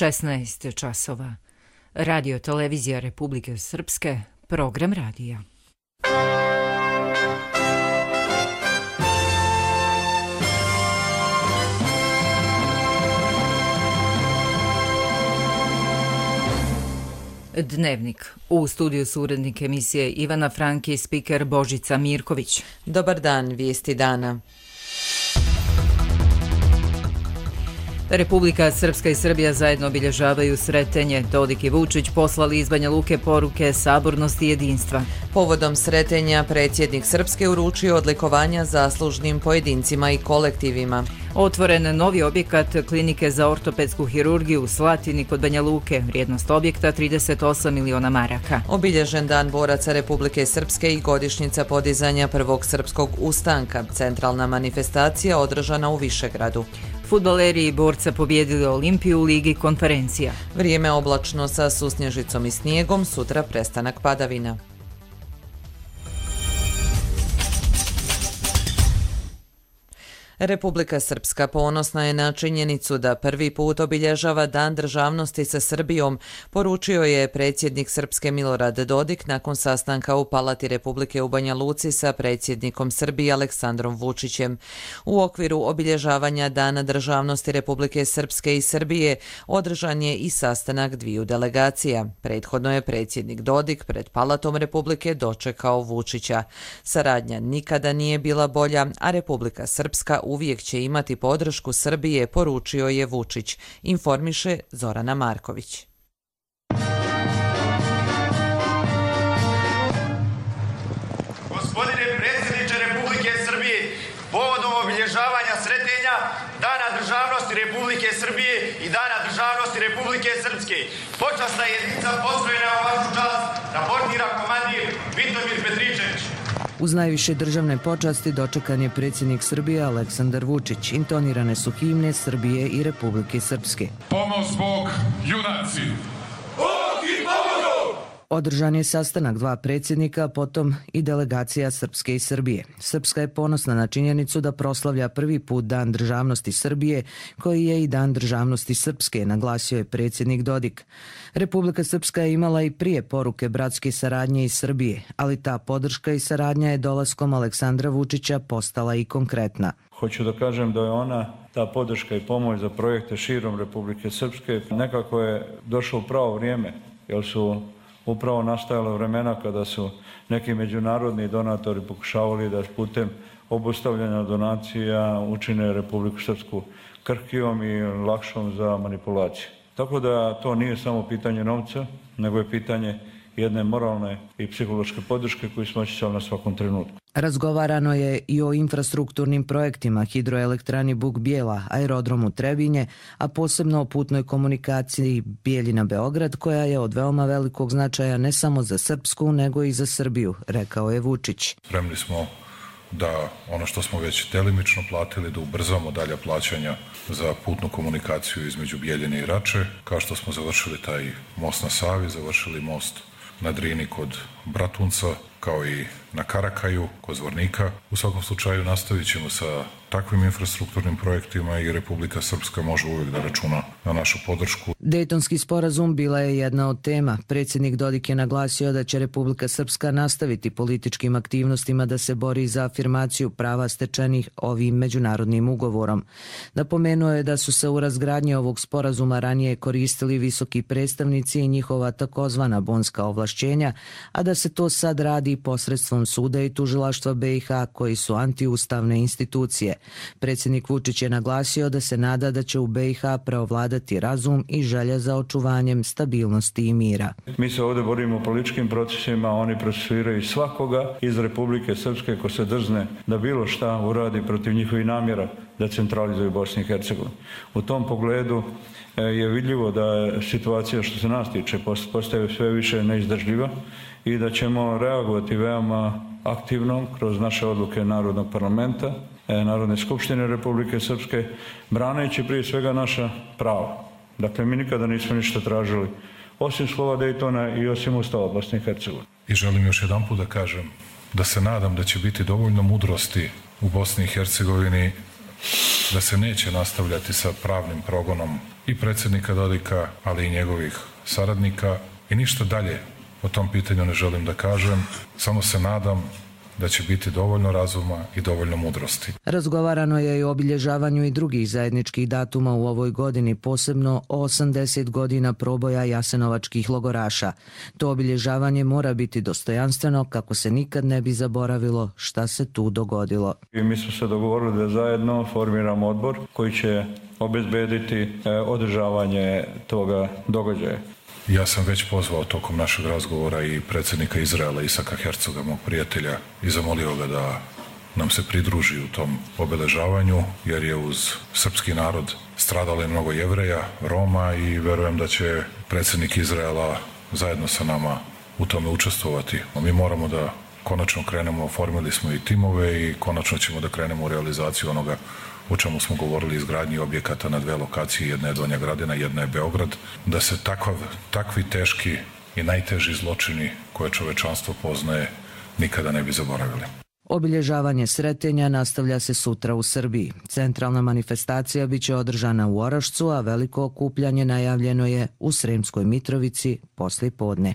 16 časova. Radio televizija Republike Srpske, program radija. Dnevnik. U studiju su urednik emisije Ivana Franki, spiker Božica Mirković. Dobar dan, vijesti dana. Republika Srpska i Srbija zajedno obilježavaju Sretenje. Dodik i Vučić poslali iz Banja Luke poruke sabornosti i jedinstva. Povodom Sretenja predsjednik Srpske uručio odlikovanja zaslužnim pojedincima i kolektivima. Otvoren novi objekat klinike za ortopedsku hirurgiju u Slatini kod Banja Luke. Vrijednost objekta 38 miliona maraka. Obilježen dan boraca Republike Srpske i godišnjica podizanja prvog srpskog ustanka. Centralna manifestacija održana u Višegradu. Fudbaleri i borca pobjedili Olimpiju u Ligi konferencija. Vrijeme oblačno sa susnježicom i snijegom, sutra prestanak padavina. Republika Srpska ponosna je na činjenicu da prvi put obilježava Dan državnosti sa Srbijom, poručio je predsjednik Srpske Milorad Dodik nakon sastanka u Palati Republike u Banja Luci sa predsjednikom Srbije Aleksandrom Vučićem. U okviru obilježavanja Dana državnosti Republike Srpske i Srbije održan je i sastanak dviju delegacija. Prethodno je predsjednik Dodik pred Palatom Republike dočekao Vučića. Saradnja nikada nije bila bolja, a Republika Srpska uvijek će imati podršku Srbije, poručio je Vučić, informiše Zorana Marković. Gospodine predsjedniče Republike Srbije, povodom obilježavanja Sretenja, Dana državnosti Republike Srbije i Dana državnosti Republike Srpske, počasna jedinica postrojena u vašu čast raportira komandir Vitomir Petričević. Uz najviše državne počasti dočekan je predsjednik Srbije Aleksandar Vučić. Intonirane su himne Srbije i Republike Srpske. Pomoz Bog, junaci! Bog i pomogu! Održan je sastanak dva predsjednika, potom i delegacija Srpske i Srbije. Srpska je ponosna na činjenicu da proslavlja prvi put Dan državnosti Srbije, koji je i Dan državnosti Srpske, naglasio je predsjednik Dodik. Republika Srpska je imala i prije poruke bratske saradnje iz Srbije, ali ta podrška i saradnja je dolaskom Aleksandra Vučića postala i konkretna. Hoću da kažem da je ona, ta podrška i pomoć za projekte širom Republike Srpske, nekako je došlo u pravo vrijeme, jer su upravo nastajala vremena kada su neki međunarodni donatori pokušavali da putem obustavljanja donacija učine Republiku Srpsku krhkijom i lakšom za manipulaciju. Tako da to nije samo pitanje novca, nego je pitanje jedne moralne i psihološke podrške koju smo osjećali na svakom trenutku. Razgovarano je i o infrastrukturnim projektima, hidroelektrani Buk Bijela, aerodromu Trebinje, a posebno o putnoj komunikaciji Bijeljina-Beograd, koja je od veoma velikog značaja ne samo za Srpsku, nego i za Srbiju, rekao je Vučić. Spremni smo da ono što smo već delimično platili, da ubrzamo dalja plaćanja za putnu komunikaciju između Bijeljine i Rače, kao što smo završili taj most na Savi, završili most na Drini kod Bratunca, kao i na Karakaju, kod Zvornika. U svakom slučaju nastavit ćemo sa takvim infrastrukturnim projektima i Republika Srpska može uvijek da računa na našu podršku. Dejtonski sporazum bila je jedna od tema. Predsjednik Dodik je naglasio da će Republika Srpska nastaviti političkim aktivnostima da se bori za afirmaciju prava stečenih ovim međunarodnim ugovorom. Napomenuo je da su se u razgradnji ovog sporazuma ranije koristili visoki predstavnici i njihova takozvana bonska ovlašćenja, a da se to sad radi posredstvom suda i tužilaštva BiH, koji su antiustavne institucije. Predsjednik Vučić je naglasio da se nada da će u BiH preovladati razum i želja za očuvanjem stabilnosti i mira. Mi se ovdje borimo o političkim procesima, oni procesuiraju svakoga iz Republike Srpske ko se drzne da bilo šta uradi protiv njihovih namjera da centralizuju Bosnu i Hercegovinu. U tom pogledu je vidljivo da je situacija što se nas tiče postaje sve više neizdržljiva i da ćemo reagovati veoma aktivno kroz naše odluke Narodnog parlamenta, Narodne skupštine Republike Srpske, braneći prije svega naša prava. Dakle, mi nikada nismo ništa tražili, osim slova Dejtona i osim Ustava Bosne i Hercegovine. I želim još jedanput da kažem da se nadam da će biti dovoljno mudrosti u Bosni i Hercegovini da se neće nastavljati sa pravnim progonom i predsjednika Dodika, ali i njegovih saradnika i ništa dalje o tom pitanju ne želim da kažem, samo se nadam da će biti dovoljno razuma i dovoljno mudrosti. Razgovarano je i o obilježavanju i drugih zajedničkih datuma u ovoj godini, posebno o 80 godina proboja jasenovačkih logoraša. To obilježavanje mora biti dostojanstveno kako se nikad ne bi zaboravilo šta se tu dogodilo. I mi smo se dogovorili da zajedno formiramo odbor koji će obezbediti održavanje toga događaja. Ja sam već pozvao tokom našeg razgovora i predsjednika Izraela Isaka Hercoga, mog prijatelja, i zamolio ga da nam se pridruži u tom obeležavanju, jer je uz srpski narod stradalo mnogo Jevreja, Roma i verujem da će predsjednik Izraela zajedno sa nama u tome učestvovati. Mi moramo da konačno krenemo, oformili smo i timove i konačno ćemo da krenemo u realizaciju onoga o čemu smo govorili, izgradnji objekata na 2 lokacije, jedna je Donja Gradina, jedna je Beograd, da se takvi teški i najteži zločini koje čovečanstvo poznaje nikada ne bi zaboravili. Obilježavanje Sretenja nastavlja se sutra u Srbiji. Centralna manifestacija biće održana u Orašcu, a veliko okupljanje najavljeno je u Sremskoj Mitrovici poslijepodne.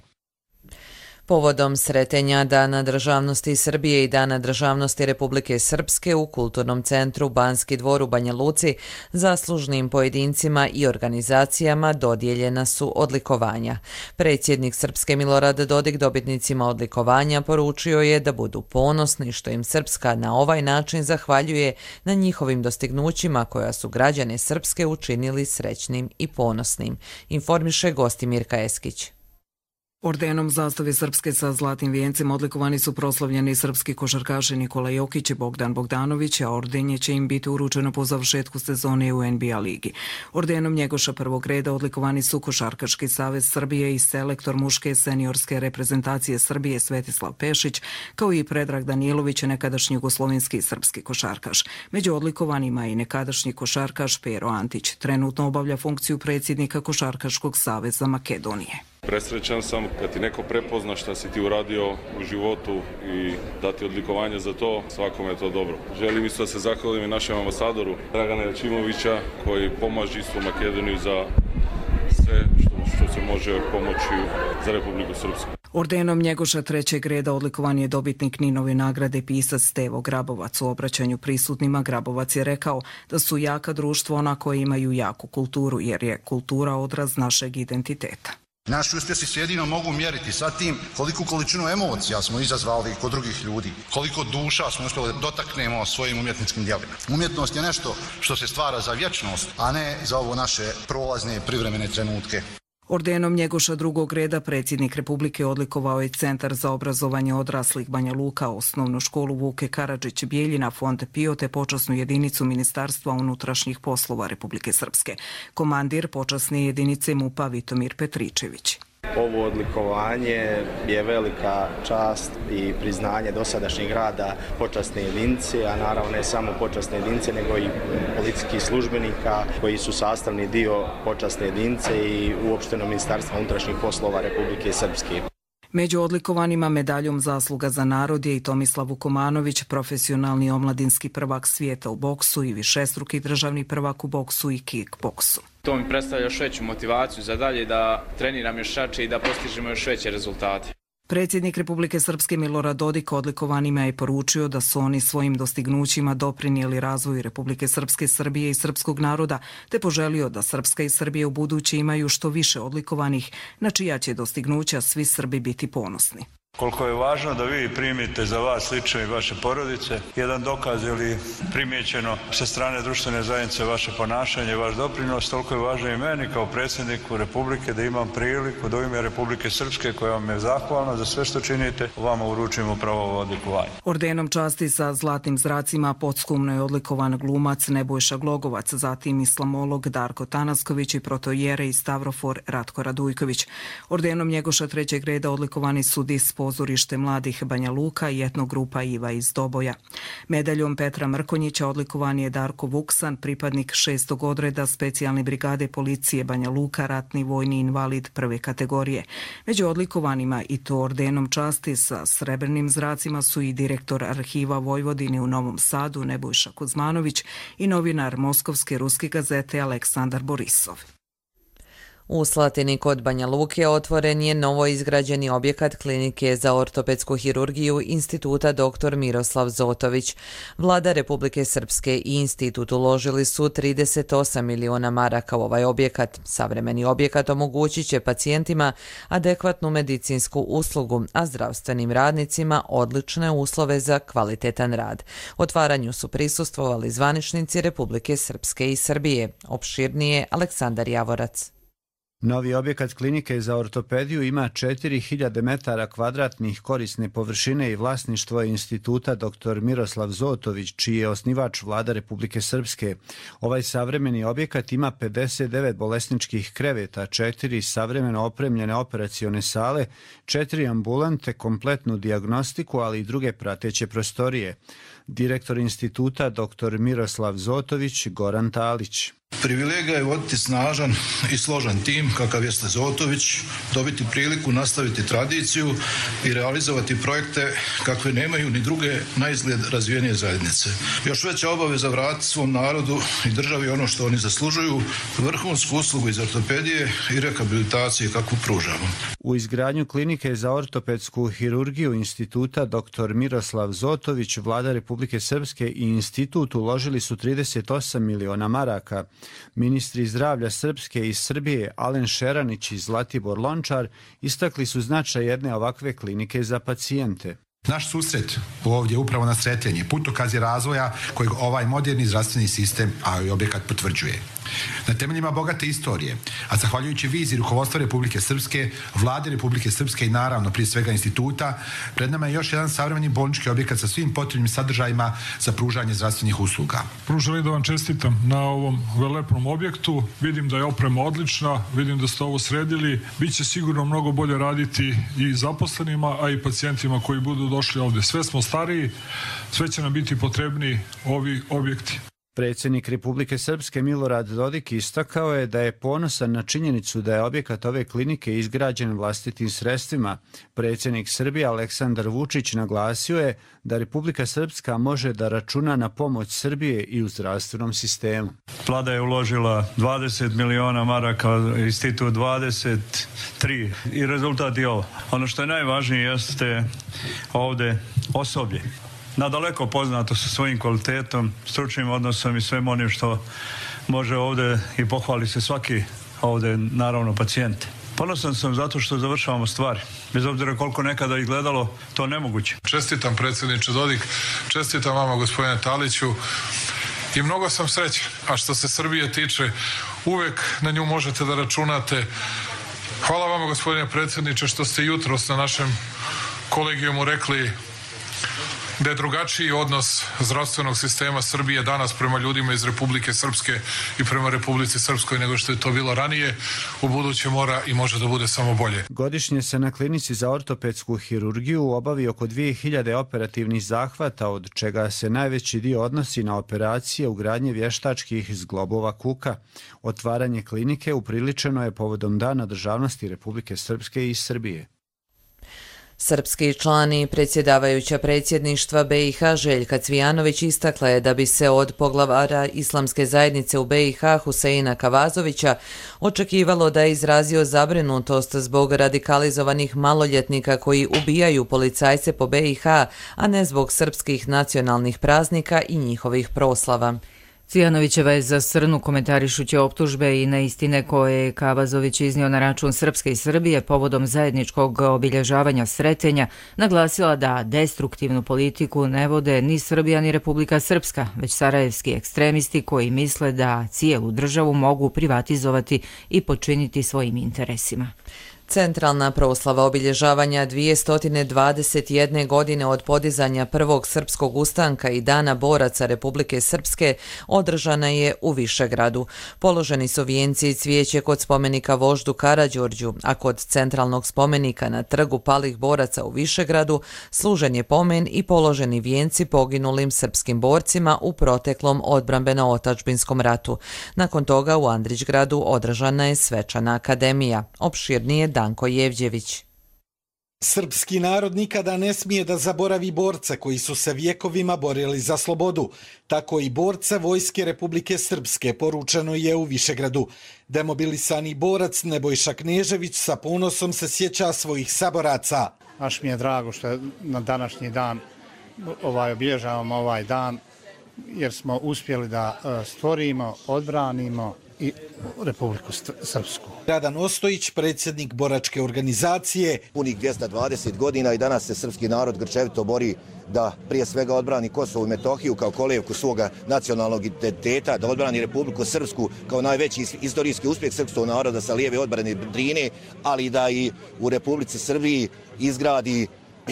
Povodom Sretenja Dana državnosti Srbije i Dana državnosti Republike Srpske u Kulturnom centru Banski dvor u Banja Luci zaslužnim pojedincima i organizacijama dodijeljena su odlikovanja. Predsjednik Srpske Milorad Dodik dobitnicima odlikovanja poručio je da budu ponosni što im Srpska na ovaj način zahvaljuje na njihovim dostignućima koja su građane Srpske učinili srećnim i ponosnim, informiše Gostimirka Eskić. Ordenom zastave Srpske sa zlatnim vijencem odlikovani su proslavljeni srpski košarkaši Nikola Jokić i Bogdan Bogdanović, a ordenje će im biti uručeno po završetku sezone u NBA ligi. Ordenom Njegoša prvog reda odlikovani su Košarkaški savez Srbije i selektor muške seniorske reprezentacije Srbije Svetislav Pešić, kao i Predrag Danilović, nekadašnji jugoslovenski i srpski košarkaš. Među odlikovanima je i nekadašnji košarkaš Pero Antić. Trenutno obavlja funkciju predsjednika Košarkaškog saveza Makedonije. Presrećan sam kad ti neko prepozna šta si ti uradio u životu i dati odlikovanje za to, svakome je to dobro. Želim isto da se zahvalim i našem ambasadoru Dragana Jačimovića koji pomaže isto Makedoniju za sve što se može pomoći za Republiku Srpsku. Ordenom Njegoša trećeg reda odlikovan je dobitnik Ninove nagrade pisac Stevo Grabovac. U obraćanju prisutnima Grabovac je rekao da su jaka društvo ona koja imaju jaku kulturu, jer je kultura odraz našeg identiteta. Naši uspjesi se jedino mogu mjeriti sa tim koliku količinu emocija smo izazvali kod drugih ljudi, koliko duša smo uspjeli dotaknemo svojim umjetničkim djelima. Umjetnost je nešto što se stvara za vječnost, a ne za ovo naše prolazne privremene trenutke. Ordenom Njegoša drugog reda predsjednik Republike odlikovao je Centar za obrazovanje odraslih Banja Luka, osnovnu školu Vuke Karadžić Bijeljina, Fond Pio te počasnu jedinicu Ministarstva unutrašnjih poslova Republike Srpske. Komandir počasne jedinice MUP-a Vitomir Petričević. Ovo odlikovanje je velika čast i priznanje dosadašnjeg rada počasne jedinice, a naravno ne samo počasne jedinice, nego i policijskih službenika koji su sastavni dio počasne jedinice i uopšteno Ministarstva unutrašnjih poslova Republike Srpske. Među odlikovanima medaljom zasluga za narod je i Tomislav Vukomanović, profesionalni omladinski prvak svijeta u boksu i višestruki državni prvak u boksu i kickboksu. To mi predstavlja još veću motivaciju za dalje da treniram još jače i da postižemo još veće rezultate. Predsjednik Republike Srpske Milorad Dodik odlikovanima je poručio da su oni svojim dostignućima doprinijeli razvoju Republike Srpske, Srbije i srpskog naroda, te poželio da Srpska i Srbije u buduće imaju što više odlikovanih, na čija će dostignuća svi Srbi biti ponosni. Koliko je važno da vi primite za vas lično i vaše porodice jedan dokaz ili primjećeno sa strane društvene zajednice vaše ponašanje, vaš doprinos, toliko je važno i meni kao predsjedniku Republike da imam priliku da u ime Republike Srpske, koja vam je zahvalna za sve što činite, vama uručimo upravo ovo odlikovanje. Ordenom časti sa zlatnim zracima podskumno je odlikovan glumac Nebojša Glogovac, zatim islamolog Darko Tanasković i protojere i stavrofor Ratko Radujković. Ordenom Njegoša trećeg reda odlikovani su dispo pozorište mladih Banja Luka i etnogrupa Iva iz Doboja. Medaljom Petra Mrkonjića odlikovan je Darko Vuksan, pripadnik 6. odreda specijalne brigade policije Banja Luka, ratni vojni invalid prve kategorije. Među odlikovanima i to ordenom časti sa srebrnim zracima su i direktor Arhiva Vojvodine u Novom Sadu Nebojša Kuzmanović i novinar Moskovske ruske gazete Aleksandar Borisov. U Slatini kod Banja Luke otvoren je novo izgrađeni objekat klinike za ortopedsku hirurgiju Instituta dr. Miroslav Zotović. Vlada Republike Srpske i institut uložili su 38 miliona maraka u ovaj objekat. Savremeni objekat omogućit će pacijentima adekvatnu medicinsku uslugu, a zdravstvenim radnicima odlične uslove za kvalitetan rad. Otvaranju su prisustvovali zvaničnici Republike Srpske i Srbije. Opširnije Aleksandar Javorac. Novi objekat klinike za ortopediju ima 4000 metara kvadratnih korisne površine i vlasništvo je Instituta dr. Miroslav Zotović, čiji je osnivač Vlada Republike Srpske. Ovaj savremeni objekat ima 59 bolesničkih kreveta, 4 savremeno opremljene operacione sale, 4 ambulante, kompletnu dijagnostiku, ali i druge prateće prostorije. Direktor Instituta dr. Miroslav Zotović, Goran Talić. Privilegija je voditi snažan i složan tim kakav jeste Zotović, dobiti priliku nastaviti tradiciju i realizovati projekte kakve nemaju ni druge naizgled razvijenije zajednice. Još veća obaveza vratiti svom narodu i državi ono što oni zaslužuju, vrhunsku uslugu iz ortopedije i rehabilitacije kakvu pružamo. U izgradnju klinike za ortopedsku hirurgiju Instituta dr. Miroslav Zotović, Vlada Republike Srpske i institut uložili su 38 miliona maraka. Ministri zdravlja Srpske i Srbije Alen Šeranić i Zlatibor Lončar istakli su značaj jedne ovakve klinike za pacijente. Naš susret ovdje upravo na Sretenje putokaz je razvoja kojeg ovaj moderni zdravstveni sistem, a i objekat potvrđuje. Na temeljima bogate istorije, a zahvaljujući viziji rukovodstva Republike Srpske, Vlade Republike Srpske i naravno prije svega instituta, pred nama je još jedan savremeni bolnički objekat sa svim potrebnim sadržajima za pružanje zdravstvenih usluga. Prvo želim da vam čestitam na ovom velepnom objektu. Vidim da je oprema odlična, vidim da ste ovo sredili. Biće sigurno mnogo bolje raditi i zaposlenima, a i pacijentima koji budu došli ovdje. Sve smo stariji, sve će nam biti potrebni ovi objekti. Predsjednik Republike Srpske Milorad Dodik istakao je da je ponosan na činjenicu da je objekat ove klinike izgrađen vlastitim sredstvima. Predsjednik Srbije Aleksandar Vučić naglasio je da Republika Srpska može da računa na pomoć Srbije i u zdravstvenom sistemu. Vlada je uložila 20 miliona maraka, institut 23 i rezultat je ovo. Ono što je najvažnije jeste ovdje osoblje. Nadaleko poznato sa svojim kvalitetom, stručnim odnosom i svem onim što može ovdje i pohvali se svaki ovdje, naravno, pacijent. Ponosan sam zato što završavamo stvari. Bez obzira koliko nekada izgledalo, to nemoguće. Čestitam predsjedniče Dodik, čestitam vama gospodine Taliću i mnogo sam srećan. A što se Srbije tiče, uvek na nju možete da računate. Hvala vama gospodine predsjedniče što ste jutros na našem kolegijumu rekli da je drugačiji odnos zdravstvenog sistema Srbije danas prema ljudima iz Republike Srpske i prema Republici Srpskoj nego što je to bilo ranije. U buduće mora i može da bude samo bolje. Godišnje se na klinici za ortopedsku hirurgiju obavi oko 2000 operativnih zahvata, od čega se najveći dio odnosi na operacije ugradnje vještačkih zglobova kuka. Otvaranje klinike upriličeno je povodom Dana državnosti Republike Srpske i Srbije. Srpski član i predsjedavajuća predsjedništva BiH Željka Cvijanović istakla je da bi se od poglavara Islamske zajednice u BiH Huseina Kavazovića očekivalo da je izrazio zabrinutost zbog radikalizovanih maloljetnika koji ubijaju policajce po BiH, a ne zbog srpskih nacionalnih praznika i njihovih proslava. Cvijanovićeva je za Srnu komentarišući optužbe i neistine koje je Kavazović iznio na račun Srpske i Srbije povodom zajedničkog obilježavanja Sretenja, naglasila da destruktivnu politiku ne vode ni Srbija ni Republika Srpska, već sarajevski ekstremisti koji misle da cijelu državu mogu privatizovati i počiniti svojim interesima. Centralna proslava obilježavanja 221 godine od podizanja prvog srpskog ustanka i Dana boraca Republike Srpske održana je u Višegradu. Položeni su vijenci i cvijeće kod spomenika voždu Karađorđu, a kod centralnog spomenika na trgu palih boraca u Višegradu služen je pomen i položeni vijenci poginulim srpskim borcima u proteklom odbrambeno-otadžbinskom ratu. Nakon toga u Andrićgradu održana je svečana akademija. Opširnije Danko Jevđević. Srpski narod nikada ne smije da zaboravi borce koji su se vjekovima borili za slobodu. Tako i borce Vojske Republike Srpske, poručeno je u Višegradu. Demobilisani borac Nebojša Knežević sa ponosom se sjeća svojih saboraca. Baš mi je drago što na današnji dan obilježavamo ovaj dan, jer smo uspjeli da stvorimo, odbranimo i Republiku Srpsku. Radan Ostojić, predsjednik boračke organizacije. Punih 220 godina i danas se srpski narod grčevito bori da prije svega odbrani Kosovo i Metohiju kao kolevku svoga nacionalnog identiteta, da odbrani Republiku Srpsku kao najveći istorijski uspjeh srpskog naroda sa lijeve odbrane Drine, ali da i u Republici Srbiji izgradi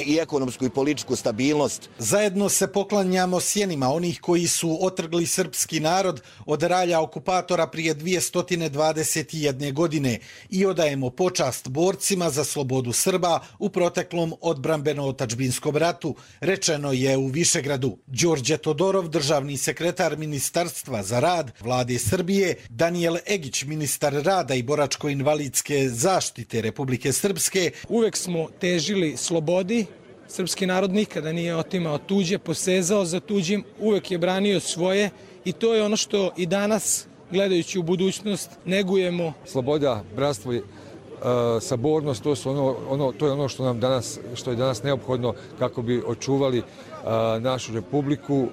i ekonomsku i političku stabilnost. Zajedno se poklanjamo sjenima onih koji su otrgli srpski narod od ralja okupatora prije 221 godine i odajemo počast borcima za slobodu Srba u proteklom odbrambeno-otadžbinskom ratu, rečeno je u Višegradu. Đorđe Todorov, državni sekretar Ministarstva za rad Vlade Srbije, Danijel Egić, ministar rada i boračko-invalidske zaštite Republike Srpske. Uvek smo težili slobodi. Srpski narod nikada nije otimao tuđe, posezao za tuđim, uvek je branio svoje i to je ono što i danas, gledajući u budućnost, negujemo. Sloboda, bratstvo i sabornost, to je ono što je danas neophodno kako bi očuvali našu republiku,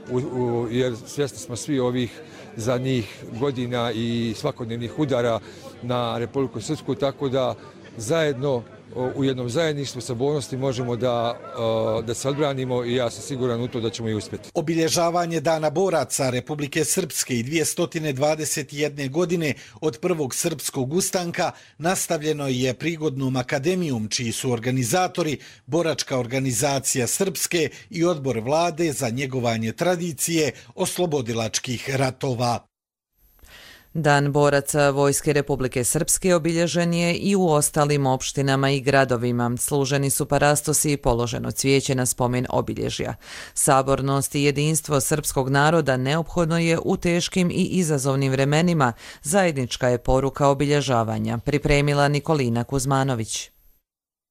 jer svjesni smo svi ovih zadnjih godina i svakodnevnih udara na Republiku Srpsku, tako da zajedno u jednom zajedništvu sabornosti možemo da se odbranimo i ja sam siguran u to da ćemo i uspjeti. Obilježavanje Dana boraca Republike Srpske i 221 godine od prvog srpskog ustanka nastavljeno je prigodnom akademijom, čiji su organizatori Boračka organizacija Srpske i Odbor vlade za njegovanje tradicije oslobodilačkih ratova. Dan boraca Vojske Republike Srpske obilježen je i u ostalim opštinama i gradovima. Služeni su parastosi i položeno cvijeće na spomen obilježja. Sabornost i jedinstvo srpskog naroda neophodno je u teškim i izazovnim vremenima. Zajednička je poruka obilježavanja, pripremila Nikolina Kuzmanović.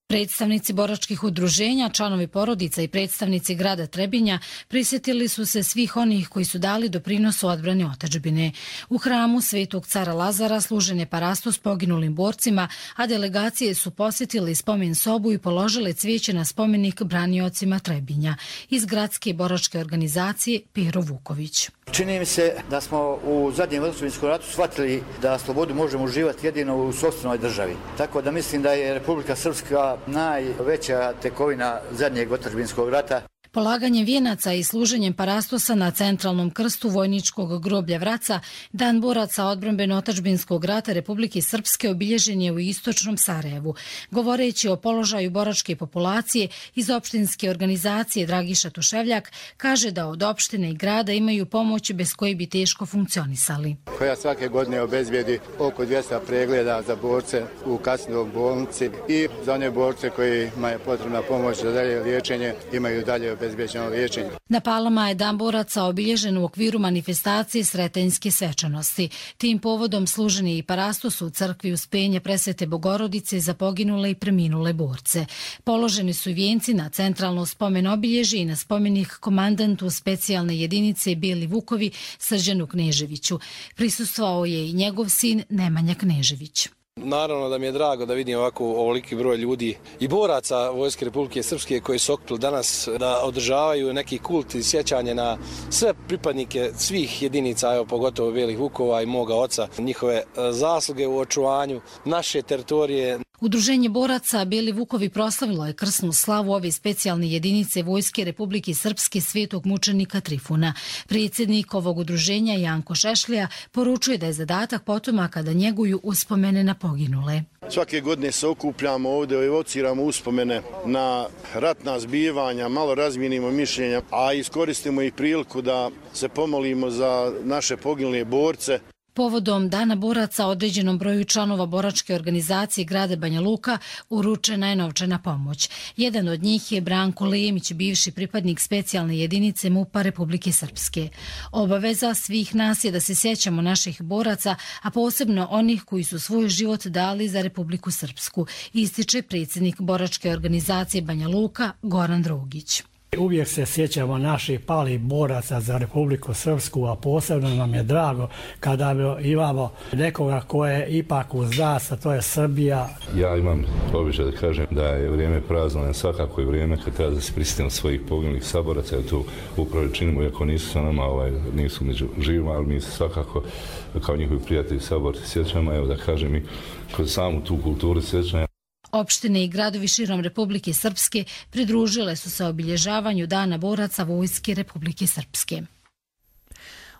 Predstavnici boračkih udruženja, članovi porodica i predstavnici grada Trebinja prisjetili su se svih onih koji su dali doprinos u odbrani otadžbine. U hramu Svetog cara Lazara služen je parastos poginulim borcima, a delegacije su posjetili spomen sobu i položile cvijeće na spomenik braniocima Trebinja. Iz gradske boračke organizacije Pero Vuković. Čini mi se da smo u zadnjem otadžbinskom ratu shvatili da slobodu možemo uživati jedino u sopstvenoj državi. Tako da mislim da je Republika Srpska najveća tekovina zadnjeg otadžbinskog rata. Polaganjem vijenaca i služenjem parastosa na centralnom krstu vojničkog groblja Vraca, Dan boraca odbrambeno-otadžbinskog rata Republike Srpske obilježen je u istočnom Sarajevu. Govoreći o položaju boračke populacije, iz opštinske organizacije Dragiša Tuševljak kaže da od opštine i grada imaju pomoć bez koje bi teško funkcionisali. Koja svake godine obezbijedi oko 200 pregleda za borce u kasnoj bolnici i za one borce kojima je potrebna pomoć za dalje liječenje imaju dalje bezbjeđeno liječenje. Na Palama je Dan boraca obilježen u okviru manifestacije Sretenjske svečanosti. Tim povodom služen je i parastos u crkvi Uspenja Presvete Bogorodice za poginule i preminule borce. Položeni su vijenci na centralno spomen obilježje i na spomenik komandantu specijalne jedinice Bijeli Vukovi Srđanu Kneževiću. Prisustvovao je i njegov sin Nemanja Knežević. Naravno da mi je drago da vidim ovako ovoliki broj ljudi i boraca Vojske Republike Srpske koji su okupili danas da održavaju neki kult i sjećanje na sve pripadnike svih jedinica, evo pogotovo Bijelih Vukova i moga oca, njihove zasluge u očuvanju naše teritorije. Udruženje boraca Beli Vukovi proslavilo je krsnu slavu ove specijalne jedinice Vojske Republike Srpske svetog mučenika Trifuna. Predsjednik ovog udruženja Janko Šešlija poručuje da je zadatak potomaka da njeguju uspomene na poginule. Svake godine se okupljamo ovdje, evociramo uspomene na ratna zbivanja, malo razmijenimo mišljenja, a iskoristimo i priliku da se pomolimo za naše poginule borce. Povodom Dana boraca određenom broju članova boračke organizacije grada Banja Luka uručena je novčana pomoć. Jedan od njih je Branko Lemić, bivši pripadnik specijalne jedinice MUP-a Republike Srpske. Obaveza svih nas je da se sjećamo naših boraca, a posebno onih koji su svoj život dali za Republiku Srpsku, ističe predsjednik boračke organizacije Banja Luka Goran Drogić. Uvijek se sjećamo naših palih boraca za Republiku Srpsku, a posebno nam je drago kada imamo nekoga ko je ipak uz nas, a to je Srbija. Ja imam običaj da kažem da je vrijeme praznovanja, svakako je vrijeme kad treba da se prisjetimo svojih poginulih saboraca, jer tu upravo činimo, iako nisu sa nama, nisu među živima, ali mi se svakako kao njihovi prijatelji saborci sjećamo, evo da kažem i kroz samu tu kulturu sjećanja. Opštine i gradovi širom Republike Srpske pridružile su se obilježavanju Dana boraca Vojske Republike Srpske.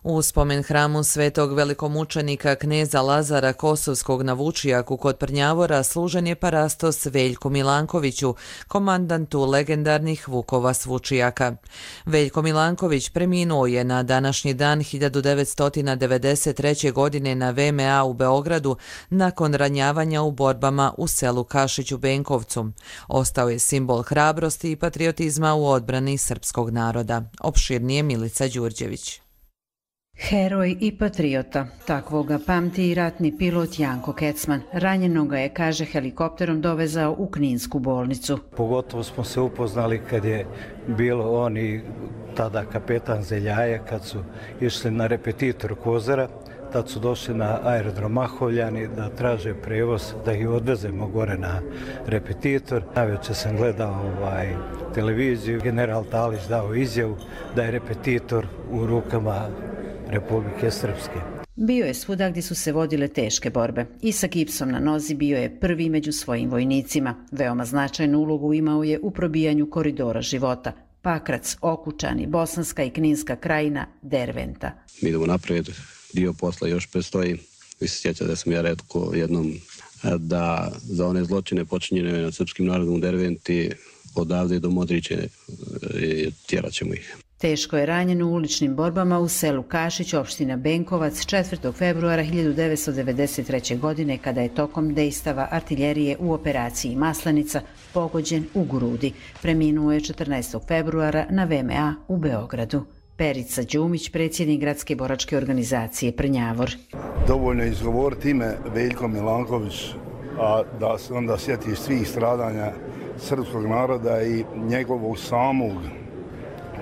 U spomen hramu svetog velikomučenika kneza Lazara Kosovskog na Vučijaku kod Prnjavora služen je parastos Veljku Milankoviću, komandantu legendarnih Vukova s Vučijaka. Veljko Milanković preminuo je na današnji dan 1993. godine na VMA u Beogradu nakon ranjavanja u borbama u selu Kašić u Benkovcu. Ostao je simbol hrabrosti i patriotizma u odbrani srpskog naroda. Opširnije Milica Đurđević. Heroj i patriota, takvog ga pamti i ratni pilot Janko Kecman. Ranjenog ga je, kaže, helikopterom dovezao u Kninsku bolnicu. Pogotovo smo se upoznali kad je bilo on i tada kapetan Zeljaje, kad su išli na repetitor Kozara. Tad su došli na aerodrom Mahovljani da traže prevoz, da ih odvezemo gore na repetitor. Navečer sam gledao televiziju, general Talić dao izjavu da je repetitor u rukama Republike Srpske. Bio je svuda gdje su se vodile teške borbe. I sa gipsom na nozi bio je prvi među svojim vojnicima. Veoma značajnu ulogu imao je u probijanju koridora života. Pakrac, Okučani, Bosanska i Kninska krajina, Derventa. Mi idemo naprijed, dio posla još predstoji. Vi se sjećate da sam ja rekao jednom da za one zločine počinjene nad srpskim narodom u Derventi odavde do Modriće tjerat ćemo ih. Teško je ranjen u uličnim borbama u selu Kašić, opština Benkovac, 4. februara 1993. godine, kada je tokom dejstava artiljerije u operaciji Maslenica pogođen u grudi. Preminuo je 14. februara na VMA u Beogradu. Perica Đumić, predsjednik gradske boračke organizacije Prnjavor. Dovoljno je izgovoriti ime Veljko Milanković, a da se onda sjeti svih stradanja srpskog naroda i njegovog samog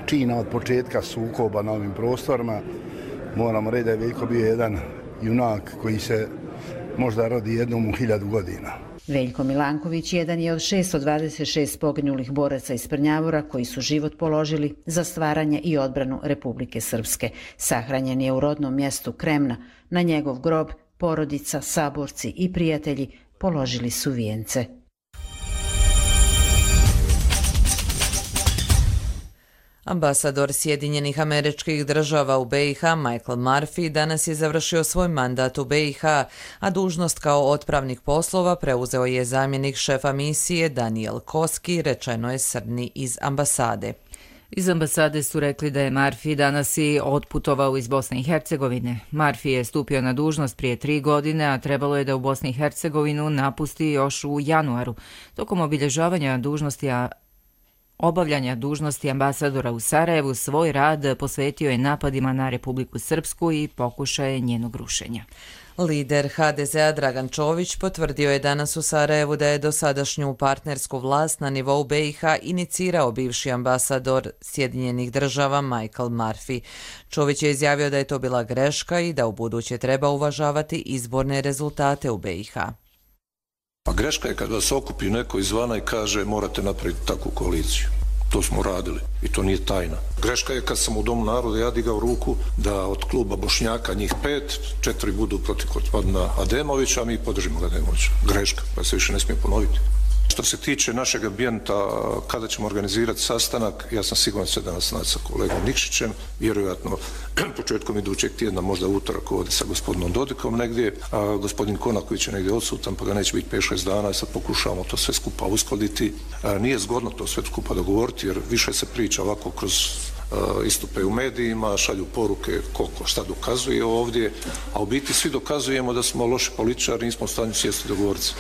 čina od početka sukoba na ovim prostorima. Moramo reći da je Veljko bio jedan junak koji se možda rodi jednom u 1000 godina. Veljko Milanković jedan je od 626 poginulih boraca iz Prnjavora koji su život položili za stvaranje i odbranu Republike Srpske. Sahranjen je u rodnom mjestu Kremna. Na njegov grob porodica, saborci i prijatelji položili su vijence. Ambasador Sjedinjenih Američkih Država u BiH Michael Murphy danas je završio svoj mandat u BiH, a dužnost kao otpravnik poslova preuzeo je zamjenik šefa misije Daniel Koski, rečeno je Srni iz ambasade. Iz ambasade su rekli da je Murphy danas i otputovao iz Bosne i Hercegovine. Murphy je stupio na dužnost prije 3 godine, a trebalo je da u Bosni i Hercegovinu napusti još u januaru. Tokom obavljanja dužnosti ambasadora u Sarajevu svoj rad posvetio je napadima na Republiku Srpsku i pokušaje njenog rušenja. Lider HDZ-a Dragan Čović potvrdio je danas u Sarajevu da je dosadašnju partnersku vlast na nivou BiH inicirao bivši ambasador Sjedinjenih Država Michael Murphy. Čović je izjavio da je to bila greška i da ubuduće treba uvažavati izborne rezultate u BiH. A greška je kad vas okupi neko izvana i kaže morate napraviti takvu koaliciju. To smo radili i to nije tajna. Greška je kad sam u Domu naroda ja digao ruku da od kluba Bošnjaka njih 5, 4 budu protiv gospodina Ademovića, a mi podržimo Ademovića. Greška, pa se više ne smije ponoviti. Što se tiče našeg ambijenta, kada ćemo organizirati sastanak, ja sam siguran se danas naći sa kolegom Nikšićem, vjerojatno početkom idućeg tjedna, možda utorak ovdje sa gospodinom Dodikom negdje, a gospodin Konaković je negdje odsutan, pa ga neće biti 5-6 dana, sad pokušavamo to sve skupa uskladiti. Nije zgodno to sve skupa dogovoriti, jer više se priča ovako kroz istupe u medijima, šalju poruke koliko šta dokazuje ovdje, a u biti svi dokazujemo da smo loši političari, nismo u stanju sjesti dogovoriti.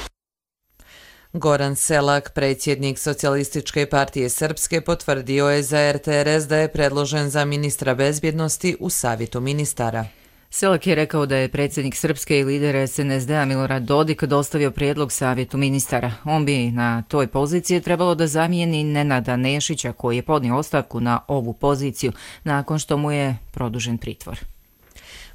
Goran Selak, predsjednik Socijalističke partije Srpske, potvrdio je za RTRS da je predložen za ministra bezbjednosti u Savjetu ministara. Selak je rekao da je predsjednik Srpske i lider SNSD-a Milorad Dodik dostavio prijedlog Savjetu ministara. On bi na toj poziciji trebalo da zamijeni Nenada Nešića, koji je podnio ostavku na ovu poziciju nakon što mu je produžen pritvor.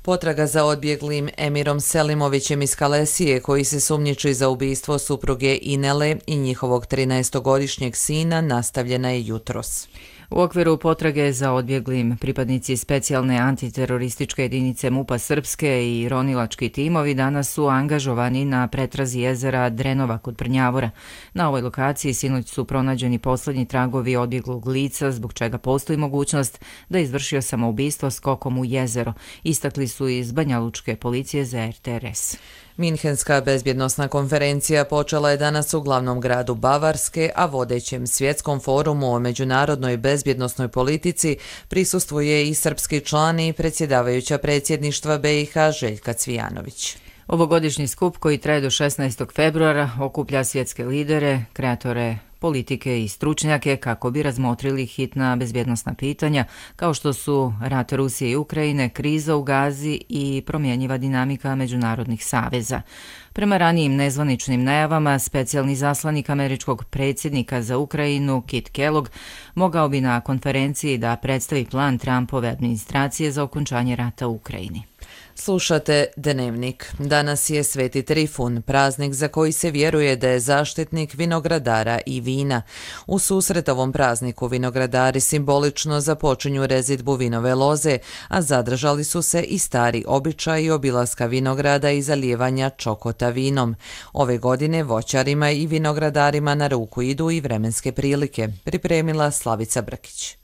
Potraga za odbjeglim Emirom Selimovićem iz Kalesije, koji se sumnjiči za ubistvo supruge Inele i njihovog 13-godišnjeg sina, nastavljena je jutros. U okviru potrage za odbjeglim pripadnici specijalne antiterorističke jedinice MUP-a Srpske i ronilački timovi danas su angažovani na pretrazi jezera Drenova kod Prnjavora. Na ovoj lokaciji sinoć su pronađeni posljednji tragovi odbjeglog lica, zbog čega postoji mogućnost da je izvršio samoubistvo skokom u jezero. Istakli su iz Banjalučke policije za RTRS. Minhenska bezbjednosna konferencija počela je danas u glavnom gradu Bavarske, a vodećem svjetskom forumu o međunarodnoj bezbjednosnoj politici prisustvuje i srpski član i predsjedavajuća predsjedništva BiH Željka Cvijanović. Ovogodišnji skup, koji traje do 16. februara, okuplja svjetske lidere, kreatore politike i stručnjake kako bi razmotrili hitna bezbjednosna pitanja kao što su rat Rusije i Ukrajine, kriza u Gazi i promjenjiva dinamika međunarodnih saveza. Prema ranijim nezvaničnim najavama, specijalni zaslanik američkog predsjednika za Ukrajinu, Kit Kellogg, mogao bi na konferenciji da predstavi plan Trumpove administracije za okončanje rata u Ukrajini. Slušate Dnevnik. Danas je Sveti Trifun, praznik za koji se vjeruje da je zaštitnik vinogradara i vina. U susret ovom prazniku vinogradari simbolično započinju rezidbu vinove loze, a zadržali su se i stari običaji obilaska vinograda i zalijevanja čokota vinom. Ove godine voćarima i vinogradarima na ruku idu i vremenske prilike, pripremila Slavica Brkić.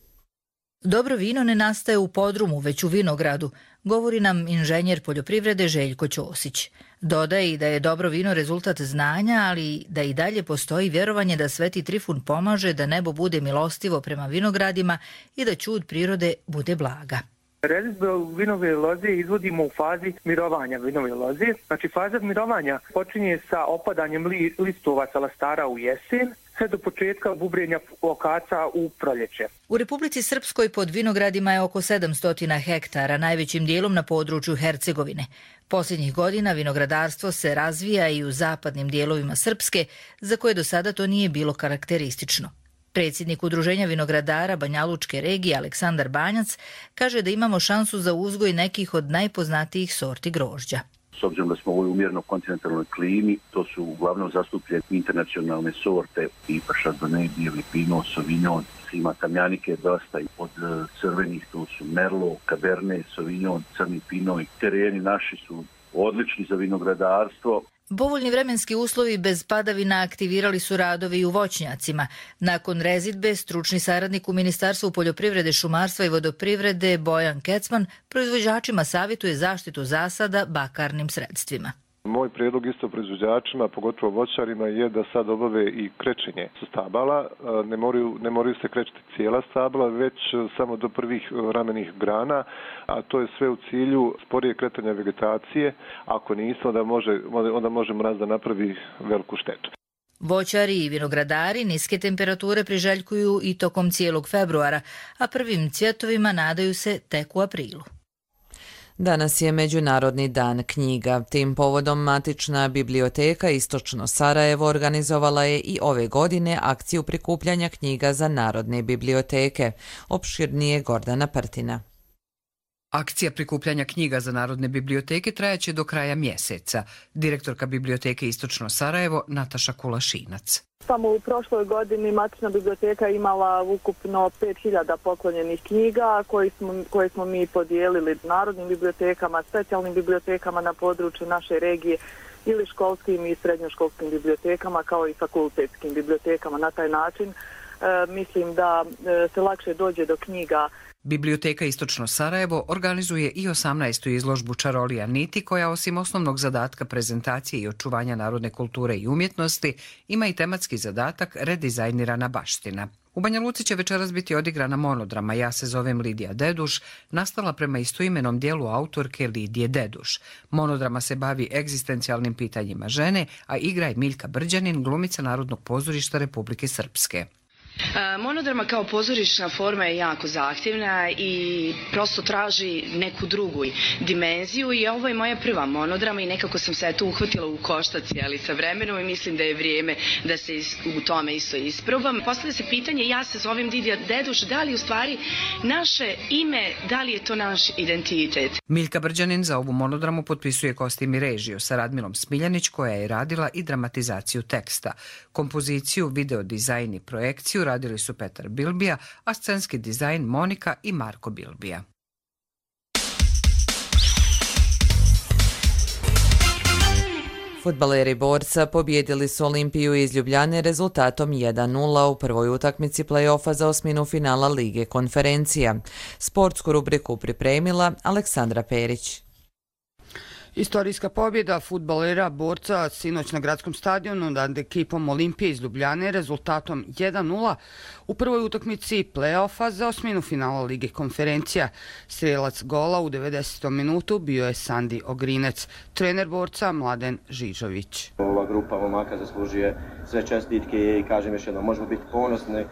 Dobro vino ne nastaje u podrumu, već u vinogradu, govori nam inženjer poljoprivrede Željko Ćosić. Dodaje i da je dobro vino rezultat znanja, ali da i dalje postoji vjerovanje da Sveti Trifun pomaže da nebo bude milostivo prema vinogradima i da ćud prirode bude blaga. Rezidbu vinove loze izvodimo u fazi mirovanja vinove loze. Znači, faza mirovanja počinje sa opadanjem listova sa lastara u jesen, sve do početka bubrenja okaca u proljeće. U Republici Srpskoj pod vinogradima je oko 700 hektara, najvećim dijelom na području Hercegovine. Posljednjih godina vinogradarstvo se razvija i u zapadnim dijelovima Srpske, za koje do sada to nije bilo karakteristično. Predsjednik Udruženja vinogradara Banjalučke regije Aleksandar Banjac kaže da imamo šansu za uzgoj nekih od najpoznatijih sorti grožđa. S obzirom da smo u ovoj umjerno kontinentalnoj klimi, to su uglavnom zastupljene internacionalne sorte, tipa Chardonnay, bijeli Pinot, Sauvignon, ima tamjanike dosta, od crvenih tu su Merlot, Cabernet, Sauvignon, crni Pinot. Tereni naši su odlični za vinogradarstvo. Povoljni vremenski uslovi bez padavina aktivirali su radovi i u voćnjacima. Nakon rezidbe, stručni saradnik u Ministarstvu poljoprivrede, šumarstva i vodoprivrede Bojan Kecman proizvođačima savjetuje zaštitu zasada bakarnim sredstvima. Moj prijedlog isto proizvođačima, pogotovo voćarima, je da sad obave i krečenje stabala. Ne moraju se krečiti cijela stabla, već samo do prvih ramenih grana, a to je sve u cilju sporije kretanja vegetacije. Ako nisu, onda može mraz da napravi veliku štetu. Voćari i vinogradari niske temperature priželjkuju i tokom cijelog februara, a prvim cvjetovima nadaju se tek u aprilu. Danas je Međunarodni dan knjiga. Tim povodom Matična biblioteka Istočno Sarajevo organizovala je i ove godine akciju prikupljanja knjiga za narodne biblioteke. Opširnije Gordana Prtina. Akcija prikupljanja knjiga za narodne biblioteke trajaće do kraja mjeseca. Direktorka Biblioteke Istočno Sarajevo Nataša Kulašinac. Samo u prošloj godini matična biblioteka imala ukupno 5000 poklonjenih knjiga koje smo mi podijelili narodnim bibliotekama, specijalnim bibliotekama na području naše regije ili školskim i srednjoškolskim bibliotekama kao i fakultetskim bibliotekama. Na taj način mislim da se lakše dođe do knjiga. Biblioteka Istočno Sarajevo organizuje i 18. izložbu Čarolija niti, koja osim osnovnog zadatka prezentacije i očuvanja narodne kulture i umjetnosti ima i tematski zadatak redizajnirana baština. U Banja Luci će večeras biti odigrana monodrama Ja se zovem Lidija Deduš, nastala prema istoimenom dijelu autorke Lidije Deduš. Monodrama se bavi egzistencijalnim pitanjima žene, a igra je Miljka Brđanin, glumica Narodnog pozorišta Republike Srpske. Monodrama kao pozorišna forma je jako zahtjevna i prosto traži neku drugu dimenziju i ovo je moja prva monodrama i nekako sam se tu uhvatila u koštac sa vremenom i mislim da je vrijeme da se u tome isto isprobam. Postavlja se pitanje, ja se zovem Lidija Deduš, da li u stvari naše ime, da li je to naš identitet? Miljka Brđanin za ovu monodramu potpisuje kostim i režiju sa Radmilom Smiljanić, koja je radila i dramatizaciju teksta. Kompoziciju, video dizajn i projekciju radili su Petar Bilbija, a scenski dizajn Monika i Marko Bilbija. Fudbaleri Borca pobjedili su Olimpiju iz Ljubljane rezultatom 1:0 u prvoj utakmici play-offa za osminu finala Lige konferencija. Sportsku rubriku pripremila Aleksandra Perić. Istorijska pobjeda fudbalera Borca sinoć na gradskom stadionu nad ekipom Olimpije iz Ljubljane rezultatom 1:0 u prvoj utakmici play-offa za osminu finala Lige konferencija. Strelac gola u 90. minutu bio je Sandi Ogrinec, trener Borca Mladen Žižović. Ova grupa momaka zaslužuje sve čestitke i kažem još jednom, možemo biti ponosni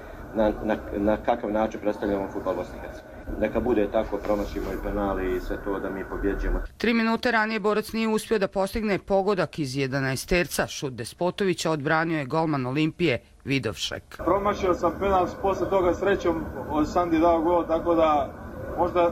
na kakav način predstavljamo fudbal Bosne i Hercegovine. Neka bude tako, promašimo i penali i sve to da mi pobjeđujemo. 3 minute ranije Borac nije uspio da postigne pogodak iz 11-terca. Šut Despotovića odbranio je golman Olimpije Vidovšek. Promašio sam penal, posle toga srećom od Sandi dao gol, tako da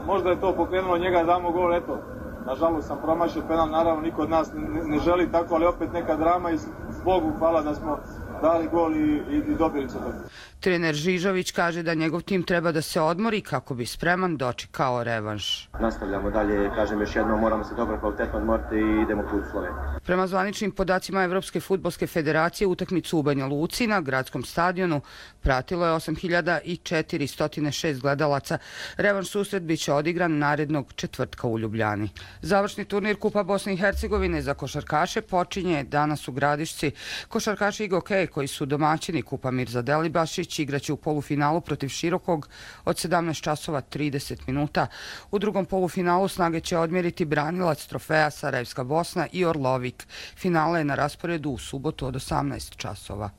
možda je to pokrenulo njega da damo gol, eto. Nažalost sam promašio penal, naravno niko od nas ne želi tako, ali opet neka drama i Bogu hvala da smo dali gol i dobili se to. Trener Žižović kaže da njegov tim treba da se odmori kako bi spreman dočekao revanš. Nastavljamo dalje, kažem još jednom, moramo se dobro kvalitetno odmoriti i idemo put Slovenije. Prema zvaničnim podacima Evropske fudbalske federacije, utakmicu u Banja Luci na gradskom stadionu pratilo je 8406 gledalaca. Revanš susret biće odigran narednog četvrtka u Ljubljani. Završni turnir Kupa Bosne i Hercegovine za košarkaše počinje danas u Gradišci. Košarkaši Igokej, koji su domaćini Kupa Mirza Delibašić, igraće u polufinalu protiv Širokog od 17:30. U drugom polufinalu snage će odmjeriti branilac trofeja Sarajevska Bosna i Orlovik. Finale je na rasporedu u subotu od 18:00.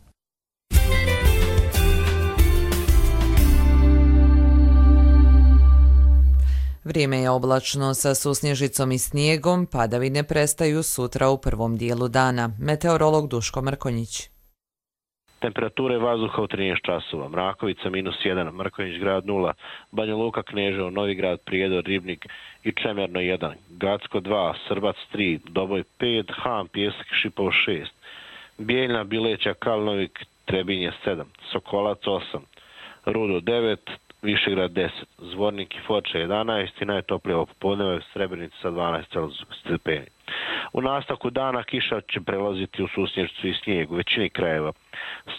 Vrijeme je oblačno sa susnježicom i snijegom, padavine prestaju sutra u prvom dijelu dana. Meteorolog Duško Mrkonjić. Temperature vazduha u 13 časova. Mrakovica -1, Mrkonjić grad 0, Banja Luka, Kneževo, Novigrad, Prijedor, Ribnik i Čemerno 1, Gacko 2, Srbac 3, Doboj 5, Ham, Pjesak, Šipovo 6, Bijeljna, Bileća, Kalnovik, Trebinje 7, Sokolac 8, Rudo 9, Višegrad 10, Zvornik i Foča 11 i najtoplije popodneva je Srebrenica sa 12 stepeni. U nastavku dana kiša će prelaziti u susnježicu i snijeg u većini krajeva,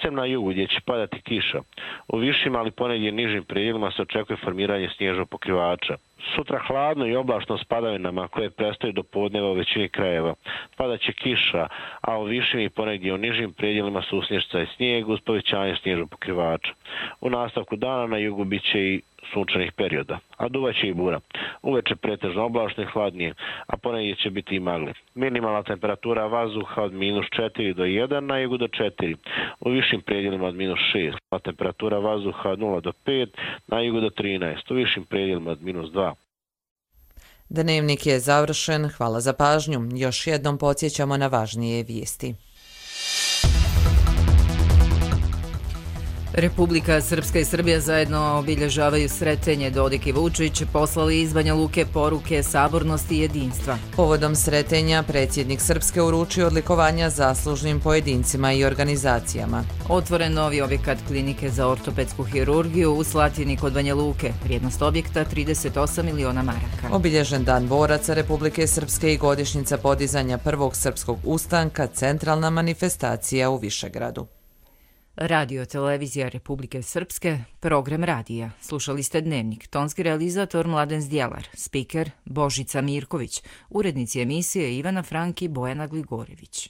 sem na jugu gdje će padati kiša. U višim, ali ponegdje nižim predjelima se očekuje formiranje snježnog pokrivača. Sutra hladno i oblačno s padavinama koje prestaju do podneva u većini krajeva. Padaće kiša, a u višim i ponegdje u nižim predjelima susnježica i snijeg uz povećanje snježnog pokrivača. U nastavku dana na jugu bit će i sunčanih perioda, a duvaće i bura. Uveče pretežno oblačno i hladnije, a ponegdje će biti i magli. Minimalna temperatura vazduha od -4 do 1, na jugu do 4. U višim predjelima od -6, a temperatura vazduha od 0 do 5, na jugu do 13, u višim predjelima od -2. Dnevnik je završen, hvala za pažnju. Još jednom podsjećamo na važnije vijesti. Republika Srpska i Srbija zajedno obilježavaju Sretenje. Dodik i Vučić poslali iz Banja Luke poruke sabornosti i jedinstva. Povodom Sretenja predsjednik Srpske uručio odlikovanja zaslužnim pojedincima i organizacijama. Otvoren novi objekat klinike za ortopedsku hirurgiju u Slatini kod Banja Luke. Vrijednost objekta 38 miliona maraka. Obilježen Dan boraca Republike Srpske i godišnjica podizanja prvog srpskog ustanka, centralna manifestacija u Višegradu. Radio televizija Republike Srpske, program radija. Slušali ste Dnevnik, tonski realizator Mladen Zdjelar, spiker Božica Mirković, urednici emisije Ivana Frank i Bojana Gligorević.